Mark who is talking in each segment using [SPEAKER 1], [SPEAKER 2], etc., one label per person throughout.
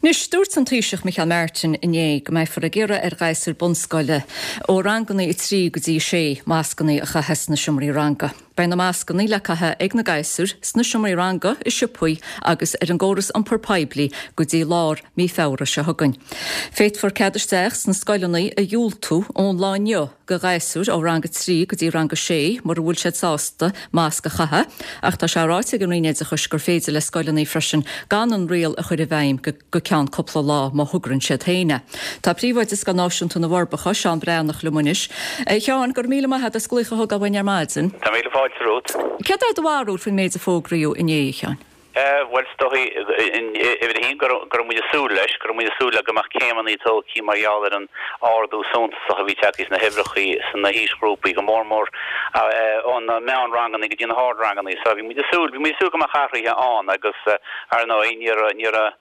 [SPEAKER 1] Anois, dúirt an Taoiseach Micheál Martin inné go mbeifear ag iarraidh ar ghasúir bunscoile ó ranganna 3 go dtí 6 mascanna a chaitheamh sna seomraí ranga. Beidh na mascanna le caitheamh ag na gasúir sna seomraí ranga, i siopaí agus ar an gcóras iompair poiblí go dtí lár mí Feabhra seo chugainn. Féadfar cead isteach sna scoileanna a dhiúltú ón lá inniu go ghasúir ó rang 3 go dtí rang 6 mura bhfuil siad sásta masc a chaitheamh, ach tá sé ráite ag an Roinn Oideachais gur féidir le scoileanna freisin gan an riail a chur i bhfeidhm go ceann cúpla lá má thograíonn siad féin é. Tá Príomhoide Scoil Náisiúnta na bhForbacha, Seán Breathnach, liom anois. A Sheáin, go raibh míle maith agat as glaoch a thógáil uainn ar maidin.
[SPEAKER 2] Tá míle fáilte romhat.
[SPEAKER 1] Céard é do bharúil faoin méid a fógraíodh inné, a Sheáin?
[SPEAKER 2] Bhuel, is dóichí, uimhir a haon, go raibh muid ag súil leis, go raibh muid ag súil le go mbeadh céimeanna tógtha mar gheall ar an ardú suntasach a bhí tagtha sna huimhreacha sna haoisghrúpaí, go mór mór ó na meánranganna go dtí na hardranganna. So bhí muid ag súil, bhí muid ag súil go mbeadh athruithe ann agus, ar ndóigh, ní raibh, ní raibh,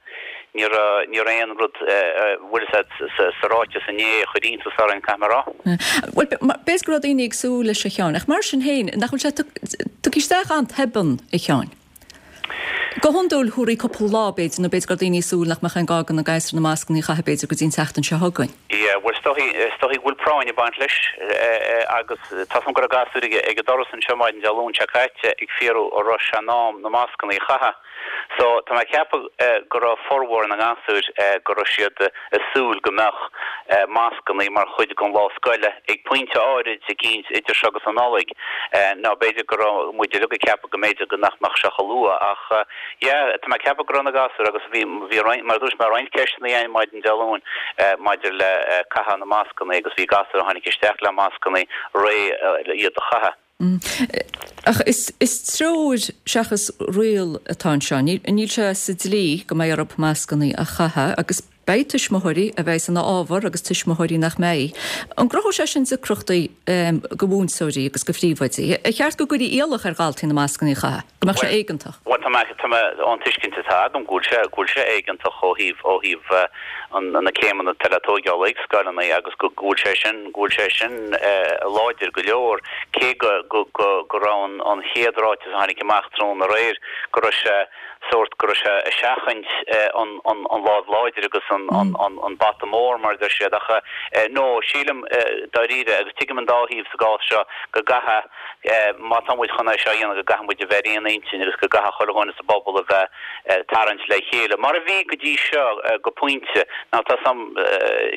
[SPEAKER 2] ní raibh, ní raibh aon rud, bhfuil a fhios agat, sa ráiteas inné a chuir iontas orainn, caithfidh mé a rá.
[SPEAKER 1] Bhuel, b'fhéidir go raibh daoine ag súil leis, a Sheáin, ach mar sin féin, nach bhfuil sé tugtha isteach an-tobann, a Sheáin? Go hiondúil, thabharfaí cúpla lá, b'fhéidir, nó b'fhéidir go raibh daoine ag súil nach mbeadh aon gá do na gasúir na mascanna a chaitheamh, b'fhéidir, go dtí an tseachtain seo chugainn.
[SPEAKER 2] Yeah, bhuel, is dóichí, is dóichí go bhfuil práinn ag baint leis agus tá 's agam go raibh gasúir ag ag an doras anseo maidin Dé Luain seo caite ag fiafraí an raibh sé in am na mascanna a chaitheamh. So, tá mé ag ceapadh go raibh formhór na ngasúir, go raibh siad ag súil go mbeadh mascanna mar chuid den lá scoile ag pointe áirid eicínt idir seo agus an Nollaig. Nó b'fhéidir go raibh muid uilig ag ceapadh go mb'fhéidir go nach mbeadh sé chomh luath ach yeah, tá mé ag ceapadh go raibh na gasúir agus bhí, bhí roinnt, mar a dúirt mé, roinnt ceisteanna againn maidin Dé Luain maidir le caitheamh na mascanna agus bhí gasúir a tháinig isteach le mascanna réidh iad a chaitheamh.
[SPEAKER 1] Ach is treoir seachas riail atá anseo. Níl sé sa dlí go mbeidh orthu mascanna a chaitheamh agus beidh tuismitheoirí a bheidh ina fhábhar agus tuismitheoirí nach mbeidh. An gcruthóidh sé sin deacrachtaí do mhúinteoirí agus do phríomhoidí? Ar cheart go gcuirfí iallach ar dhaltaí na mascanna a chaitheamh? Go mbeadh sé éigeantach?
[SPEAKER 2] Bhuel, tá mé, tá mé, ón tuiscint atá agam go bhfuil sé, go bhfuil sé éigeantach ó thaobh, ó thaobh an, na céimeanna atá le tóigeáil ag scoileanna agus go, go bhfuil sé sin, go bhfuil sé sin láidir go leor, cé go, go, go, go raibh an, an chéad ráiteas a tháinig amach tráthnóna aréir go raibh sé sórt, go raibh sé ag seachaint an, an, an lámh láidir agus an, an, an, an bata mór mar a deir siad ach no, sílim dáiríre agus tuigim an dá thaobh sa gcás seo go gcaithfidh Má tá muid chun é seo a dhéanamh go gcaithfidh muid a bheith ar aon intinn agus go gcaithfidh chuile dhuine sa bpobal a bheith ag tarraingt le chéile, mar a bhí go dtí seo go pointe. Now tá 's a'm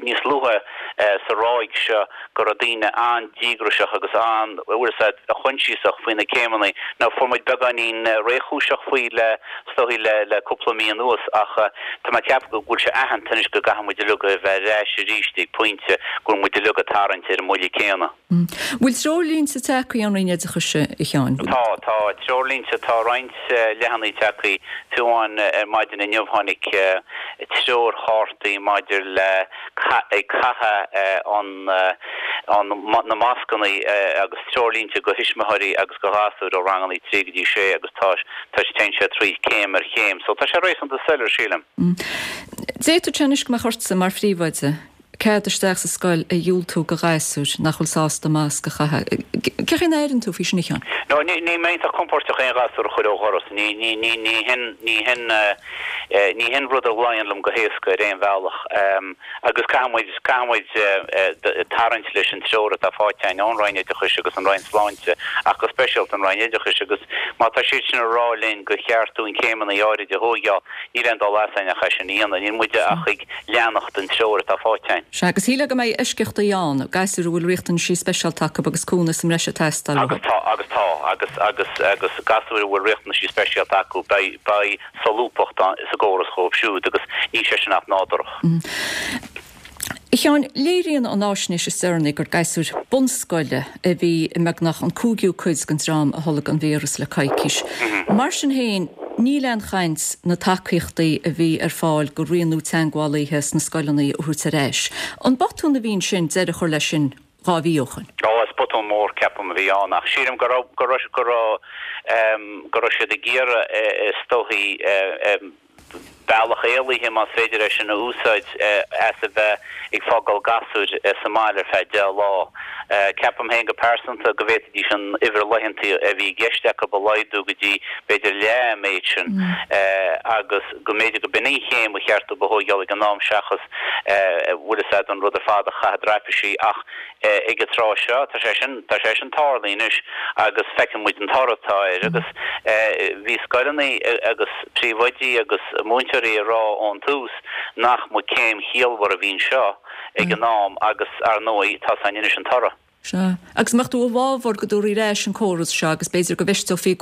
[SPEAKER 2] níos luaithe sa ráig seo go raibh daoine an-díograiseach agus an, bhfuil 'fhios a'd, choinsiasach faoi na céimeanna. Now fuair muid beagáinín réchúiseach faoi le, is dóichí le, le cúpla mí anuas ach tá mé ag ceapadh go bhfuil sé aitheanta anois go gcaithfidh muid uilig a bheith ar ais arís ag pointe go bhfuil muid uilig ag tarraingt ar an mbuille céanna.
[SPEAKER 1] Bhfuil treoirlínte tagtha ón Roinn Oideachais, a Sheáin?
[SPEAKER 2] Tá, tá treoirlínte, tá roinnt leathanaigh tagtha, fiú amháin ar maidin inniu tháinig treoirchártaí maidir le ag caitheamh an, an, na mascanna agus treoirlínte go thuismitheoirí agus go ghasúir ó ranganna 3 go dtí 6 agus tá, tá, téann sé tríd céim ar chéim. So tá sé réasúnta soiléir, sílim.
[SPEAKER 1] D'fhéadfadh sé anois go mbeadh ortsa mar phríomhoide cead isteach sa scoil a dhiúltú go ghasúir nach bhfuil sásta masc a chaitheamh. Cén chaoi a n-airíonn tú faoi sin, a Sheáin?
[SPEAKER 2] No, ní, níl mé iontach compóirteach aon ghasúr a chur ó dhoras. Ní, ní, ní, ní hin, ní hin, ní hin rud a luíonn liom go héasca ar aon bhealach. Agus caithfidh muid, caithfidh muid tarraingt leis an treoir atá faighte againn ón Roinn Oideachais agus an Roinn Sláinte, ach go speisialta an Roinn Oideachais. Agus má tá siad sin ag rá linn gur cheart dúinn céimeanna áirid a thóigeáil, níl aon dul as againn ach é sin a dhéanamh. Níl muide ach ag leanacht den treoir atá faighte againn.
[SPEAKER 1] Sea, agus shílfeá go mbeidh eisceachtaí ann, gasúir a bhfuil riachtanaisí speisialta acu agus cúnamh sa mbreis ag teastáil
[SPEAKER 2] uathu. Agus tá, agus tá, agus, agus, agus gasúir a bhfuil riachtanaisí speisialta acu, beidh, beidh solúbthacht sa gcóras dhóibh siúd agus níl sé sin ach nádúrach.
[SPEAKER 1] A Sheáin, léiríonn an fháisnéis is deireanaí gur gasúir bunscoile a bhí i mbeagnach an cúigiú cuid den dream a tholg an víreas le coicís. Mar sin féin, níl aon chaint na tacaíochtaí a bhí ar fáil go rianú teagmhálaithe sna scoileanna a thabhairt ar ais. An botún a bhí ansin deireadh a chur leis sin 2 mhí ó shoin?
[SPEAKER 2] Ó, is botún mór, ceapaim, a bhí ann ach sílim go raibh, go raibh, go raibh, go raibh siad ag iarraidh is dóichí. bealach éalaithe, más féidir é sin a úsáid, as a bheith ag fágáil gasúir sa mbaile ar feadh 10 lá. Ceapaim féin go pearsanta go bhféadfaidís an uimhir laethanta a bhí i gceist acu a laghdú go dtí b'fhéidir leath an méid sin agus go mb'fhéidir go b'in an chéim ba cheart dóibh a thóigeáil ag an am seachas bhfuil fhios a'd an rud ar fad a chaitheamh i dtraipisí ach ag an tráth seo tá sé sin tá sé sin tarlaithe anois agus feiceann muid an toradh atá air agus bhí scoileanna agus príomhoidí agus múinteoirí ag rá ón tús nach mba céim chiallmhar a bhí anseo ag an am agus, ar ndóigh, tá 's againn anois an toradh.
[SPEAKER 1] Sea. Agus an mbeadh tú i bhfabhar go dtabharfaí ar ais an córas seo agus b'fhéidir go bhfeisteofaí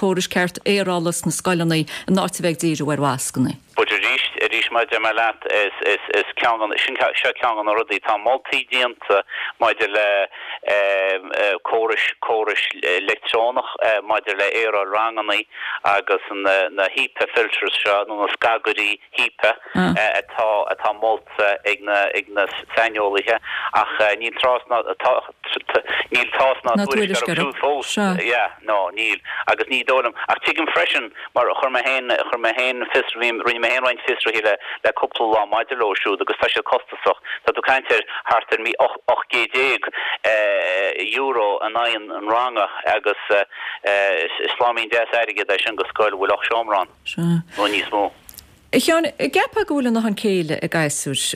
[SPEAKER 1] córais ceart aerála sna scoileanna in áit a bheith ag díriú ar mhascanna?
[SPEAKER 2] But arís, arís mar a deir mé leat, is, is, is ceann de, sin, seo ceann de na rudaí, tá moltaí déanta maidir le córais, córais leictreonach maidir le aeráil ranganna agus na, na HEPA filters seo nó na scagairí HEPA atá, atá molta ag na, ag na saineolaithe ach níl tráth ná, níl tásc ná tuairisc orthu siúd fós. Yeah, no, níl. Agus ní dóigh liom, ach tuigim freisin, mar chuir mé féin, chuir mé féin fios, rinne mé féin roinnt fiosruithe le, le cúpla lá maidir leo siúd agus tá siad costasach. Tá tú ag caint ar thart ar €18 in aghaidh an ranga agus is sláimín deas airgid é sin do scoil a bhfuil 8 seomra ann nó níos mó.
[SPEAKER 1] A Sheáin, an gceapfá go bhfuil a ndóthain céille ag gasúir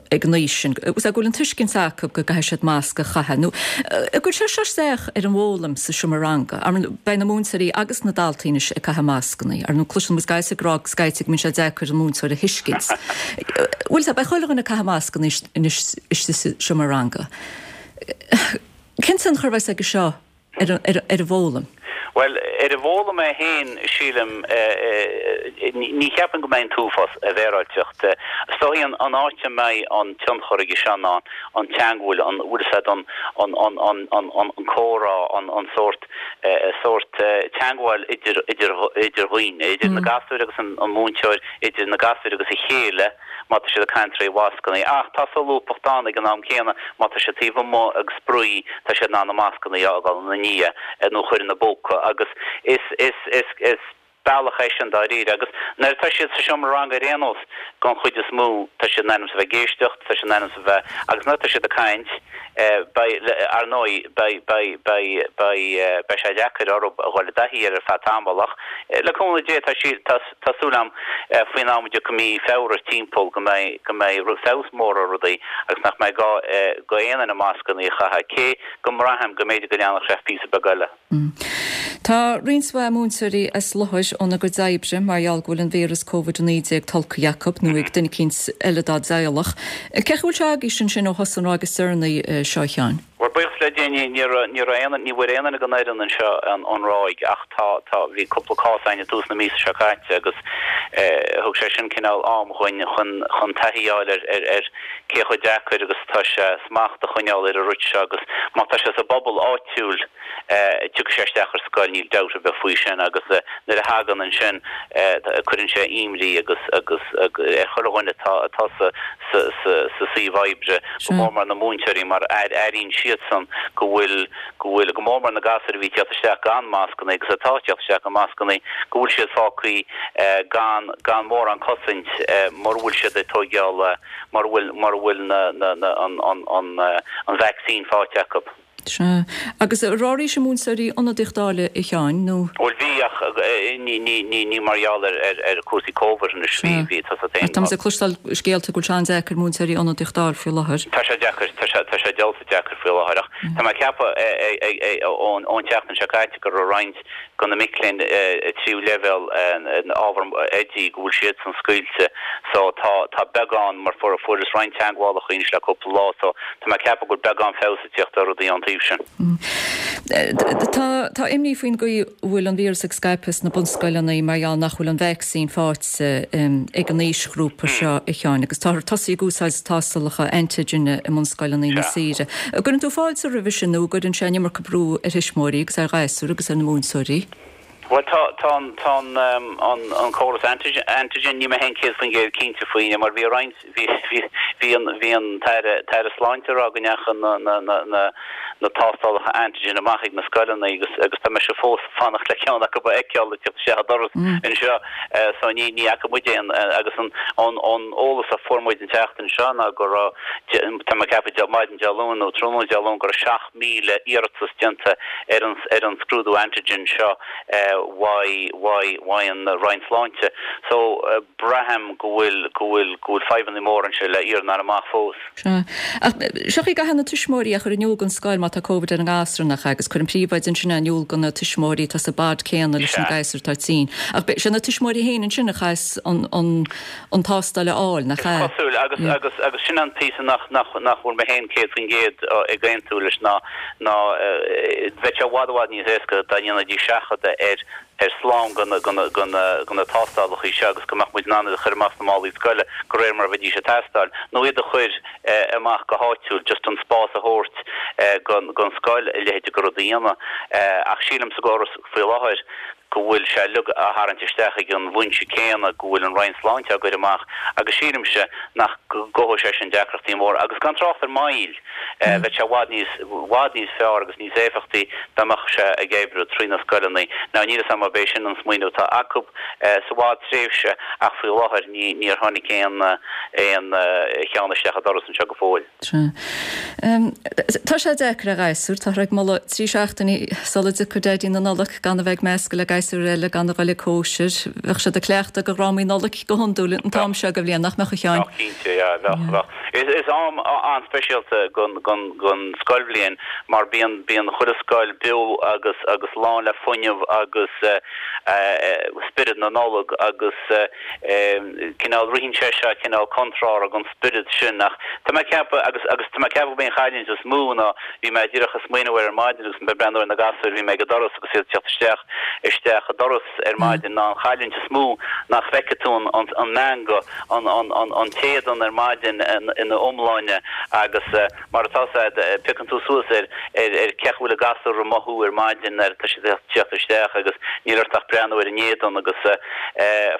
[SPEAKER 1] ag an aois sin, go bhfuil an tuiscint acu go gcaithfidh siad masc a chaitheamh, nó an gcuirfidh sé seo isteach ar an bhfoghlaim sa seomra ranga? Ar ndóigh, beidh na múinteoirí agus na daltaí anois ag caitheamh mascanna. Ar ndóigh, cloiseann muid gasúir ag rá scaití go mbíonn sé deacair an múinteoir a thuiscint. Bhuel, beidh chuile dhuine ag caitheamh mascanna anois istigh sa seomra ranga. Cén tionchar a bheas aige seo ar an bhfoghlaim?
[SPEAKER 2] Bhuel, ar an bhfoghlaim é féin, sílim, ní cheapaim go mbeidh an t-uafás, a bhféaráilteacht. Is dóichí an áit a mbeidh an tionchar aige seo ná an teagmháil, an, bhfuil fhios a'd, an, an, an, an, an comhrá, an, an sórt, sórt teagmháil idir, idir, idir dhaoine, idir na gasúir agus an múinteoir, idir na gasúir agus a chéile. má tá siad ag caint tré mhascanna. Ach tá solúbthacht ann ag an am céanna, má tá siad taobh amuigh ag spraoi, tá siad in ann na mascanna a fhágáil ina ndiaidh nó a chur ina bpóca agus is, is, is, is bealach é sin dáiríre. Agus nuair atá siad sa seomra ranga ar aon nós, den chuid is mó, tá siad in ainm is a bheith ag éisteacht, tá siad in ainm is a bheith, agus nuair atá siad ag caint, beidh, ar ndóigh, beidh, beidh, beidh, beidh, beidh sé deacair orthu a dhul i dtaithí air ar feadh tamaill ach le cúnamh Dé tá sí, tá, Tá súil agam faoin am a dtiocfaidh mí Feabhra timpeall go mbeidh go mbeidh feabhas mór ar rudaí agus nach mbeidh gá go aon duine mascanna a chaitheamh, cé go mbraithim go mb'fhéidir go leanfadh sé píosa beag eile.
[SPEAKER 1] Tá roinnt mhaith múinteoirí as láthair óna gcuid oibre mar gheall go bhfuil an víreas Covid-19 tolgtha acu nó ag duine eicínt eile dá dteaghlach. Cén chaoi a bhfuil sé agaibhse ansin ó thosaigh an ráig is deireanaí seo, a Sheáin?
[SPEAKER 2] Bhuel, buíochas le Dia, ní, ní raibh, ní raibh aon, ní bhfuair aon duine den fhoireann anseo an, an ráig ach tá, tá, bhí cúpla cás againn i dtús na míosa seo caite agus eh thug sé sin cineál am dhuinn chun, chun taithí a fháil ar, ar, ar cé chomh deacair agus atá sé smacht a choinneáil ar an rud seo agus má tá sé sa bpobal áitiúil, Tiocfaidh sé isteach ar scoil, níl dabht ar bith faoi sin, agus nuair a thagann ansin, cuireann sé imní agus agus ar chuile dhuine atá atá sa sa sa sa suíomh oibre, go mór mór na múinteoirí mar airíonn siadsan go bhfuil go bhfuil, go mór mór na gasúir a bhí ag teacht isteach gan mascanna agus atá ag teacht isteach gan mascanna, go bhfuil siad fágtha gan gan mórán cosaint mura bhfuil siad ag tóigeáil, mura bhfuil mura bhfuil na na na an an an an vacsaín faighte acu.
[SPEAKER 1] Sea. Agus an raibh oraibhse múinteoirí ionadaíocht a fháil, a Sheáin, nó?
[SPEAKER 2] Bhuel, bhí, ach ní, ní, ní, ní mar gheall ar, ar, ar chúrsaí Covid anois, bhí, bhí, tá
[SPEAKER 1] sa Tá muid ag cloisteáil scéalta go bhfuil sé an-deacair múinteoirí ionadaíocht a fháil faoi láthair.
[SPEAKER 2] Tá sé deacair, tá sé, tá sé diabhalta deacair faoi láthair, ach tá mé ag ceapadh ón, ón tseachtain seo caite go raibh roinnt de na mic léinn tríú leibhéal ábhar oidí go bhfuil siadsan scaoilte so tá tá beagán mar fuair fuaireas roinnt teagmhálacha anois le cúpla lá so tá mé ag ceapadh go bhfuil beagán feabhas ag tíocht ar rudaí ón taobh sin.
[SPEAKER 1] Tá tá imní faoin gcaoi a bhfuil an víreas ag scaipeadh sna bunscoileanna mar gheall nach bhfuil an vacsaín faighte ag an aoisghrúpa seo a Sheáin agus táthar tosaithe ag úsáid tástálacha antigen i mbunscoileanna na tíre. An gcuireann tú fáilte roimhe sin nó an gcuireann sé an iomarca brú ar thuismitheoirí agus ar ghasúir agus ar na múinteoirí?
[SPEAKER 2] Bhuel, tá, tá an, tá an, an, an córas antigen, antigen, níl mé féin 100% cinnte faoi, mar bhí roinnt, bhí, bhí, bhí an, bhí an tAire, tAire Sláinte ag rá go ndeacha na, na, na, na, na tástálacha antigen amach ag na scoileanna agus, agus tá mise fós ag fanacht le ceann acu a fheiceáil ag teacht isteach an doras anseo so ní, ní fhaca muid aon, agus an, an, an eolas a fuair muid an tseachtain seo ná go raibh, tá mé ag ceapadh maidin Dé Luain nó tráthnóna Dé Luain go raibh 7,000 iarratas déanta ar an ar an scrúdú antigen seo uaidh uaidh uaidh an Roinn Sláinte. So braithim go bhfuil go bhfuil go bhfuil fadhbanna móra anseo le iarraidh amach fós.
[SPEAKER 1] Sea. Ach seo í caithfidh na tuismitheoirí a chur in iúl don scoil má tá Covid ar an ngasúr nach ea agus cuireann príomhoide ansin é in iúl do na tuismitheoirí atá sa bpod céanna leis an gasúr atá tinn. Ach sé na tuismitheoirí féin ansin a chaithfeas an an an tástáil a fháil, nach
[SPEAKER 2] ea? Is cosúil, agus, agus, agus sin an píosa nach, nach, nach bhfuil mé féin 100% ag aontú leis ná, ná bheadh sé i bhfad, i bhfad níos éasca dá ndéanfaidís seachadadh ar, ar slám de na, de na, de na, de na tástálacha seo agus go mbeadh muid in ann iad a chur amach sna málaí scoile de réir mar a bheidís ag teastáil, nó iad a chur amach go háitiúil, just an spás a thabhairt don, don scoil a leithéid de rud a dhéanamh. Ach sílim sa gcóras faoi láthair, go bhfuil sé uilig á tharraingt isteach ag an bhfoinse céanna go bhfuil an Roinn Sláinte á gcur amach agus sílimse nach gcothóidh sé sin deacrachtaí móra agus gan trácht ar moill, bheadh sé i bhfad níos, bhfad níos fearr agus níos éifeachtaí dá mbeadh sé ag oibriú trí na scoileanna. Now níl 'fhios a'm ab é sin an smaoineamh atá acu sa bhfadtréimhse ach faoi láthair ní, níor tháinig aon, aon cheann isteach an doras anseo go fóill.
[SPEAKER 1] Sea. Tá sé deacair ar ghasúir. Táthar ag moladh 3 seachtainí sula dtiocfaidh Daidí na Nollag gan a bheith ag meascadh le gasúir eile, gan a dhul ag cóisir. Bheadh siad ag cleachtadh do dhrámaí Nollag go hiondúil an t-am seo de bhliain, nach mbeadh, a Sheáin?
[SPEAKER 2] Bheadh, cinnte, yeah, bheadh, bheadh. Is am an-speisialta den scoilbhliain mar bíonn, bíonn chuile scoil beo agus, agus lán le fuinneamh agus spiorad na Nollag agus, cineál, ritheann sé seo cineál contrártha don spiorad sin ach tá mé ag ceapadh, agus, agus tá mé ag ceapadh gurb é an chailliúint is mó ná, bhí mé díreach ag smaoineamh air ar maidin agus mé ag breathnú ar na gasúir, bhí mé ag an doras agus iad ag teacht isteach, isteach an doras ar maidin, ná an chailliúint is mó nach bhfeicfidh tú an, an, an meangadh, an, an, an, an t-éadan ar maidin ina iomláine agus. Mar atá 'fhios a'd, piocann tú suas ar ar ar cén chaoi a bhfuil an gasúr ag mothú ar maidin nuair atá siad ag teacht isteach agus níl ort ach breathnú ar an éadan agus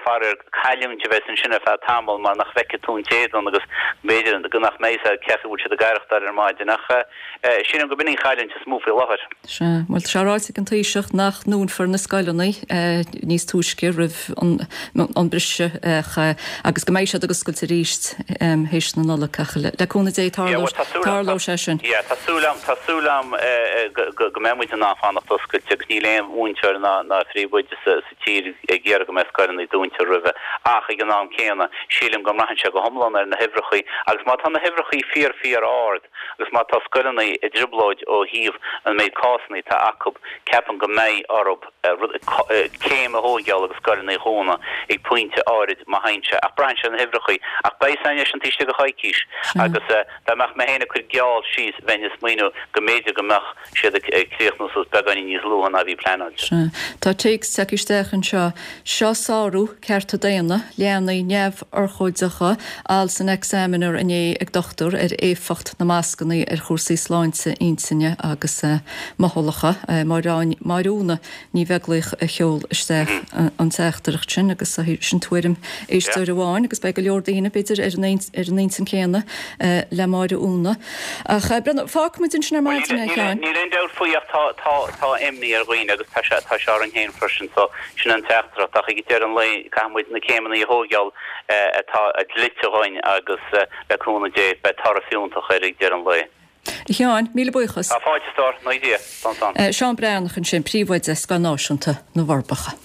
[SPEAKER 2] faraor cailliúint a bheas ansin ar feadh tamaill mar nach bhfeicfidh tú an t-éadan agus b'fhéidir go nach mbeidh 'fhios a'd cén chaoi a bhfuil siad ag aireachtáil ar maidin ach sílim go b'in an chailliúint is mó faoi láthair.
[SPEAKER 1] Sea, bhuel tá sé ráite ag an Taoiseach nach ndúnfar na scoileanna níos túisce roimh an briseadh agus go mbeidh siad ag oscailt arís théis na Nollag ach le cúnamh Dé tarlóidh sé sin.
[SPEAKER 2] Yeah, tá súil a'm, tá súil a'm go mbeidh muid in ann fanacht oscailte agus níl aon mhúinteoir ná ná phríomhoide sa tír ag iarraidh go mbeidh scoileanna dúnta roimhe ach ag an am céanna sílim go mbraitheann sé go hiomlán ar na huimhreachaí agus má tá na huimhreachaí fíor fíor ard Agus má tá scoileanna i dtrioblóid ó thaobh an méid cásanna atá acu, ceapaim go mbeidh orthu céim a thóigeáil agus scoileanna a dhúnadh ag pointe áirid má théann sé. Ach braitheann sé ar na huimhreachaí. Ach beidh a fhios a'inn é sin taobh istigh de choicís. Agus dá mbeadh mé féin ag cur geall síos, bheinn ag smaoineamh go mb'fhéidir go mbeadh siad ag críochnú suas beagáinín níos luaithe ná a bhí pleanáilte.
[SPEAKER 1] Sea. Tá téacs tagtha isteach anseo. Seo sárú cearta daonna, leanaí neamhurchóideacha, alt san Examiner inné ag dochtúir ar éifeacht na mascanna ar chúrsaí sláinte intinne agus mothálacha. Máire Úna Ní Bheaglaoich a sheol isteach an teachtaireacht sin agus sin tuairim éisteoir amháin agus beidh go leor daoine, b'fhéidir, ar an intinn chéanna le Máire Úna. Ach fágfaidh muid ansin ar maidin é, a
[SPEAKER 2] Sheáin. Níl aon dabht faoi ach tá, tá, tá imní ar dhaoine agus tá sé, tá sé orainn féin freisin so sin an teachtaireacht ach ag deireadh an lae caithfidh muid na céimeanna a thóigeáil atá dlite dhuinn agus le cúnamh Dé beidh toradh fiúntach air ag deireadh an lae.
[SPEAKER 1] A Sheáin, míle buíochas.
[SPEAKER 2] Tá fáilte, a stór. Naoi Dia. Slán, slán.
[SPEAKER 1] Seán Breathnach ansin, Príomhoide Scoil Náisiúnta na bhForbacha.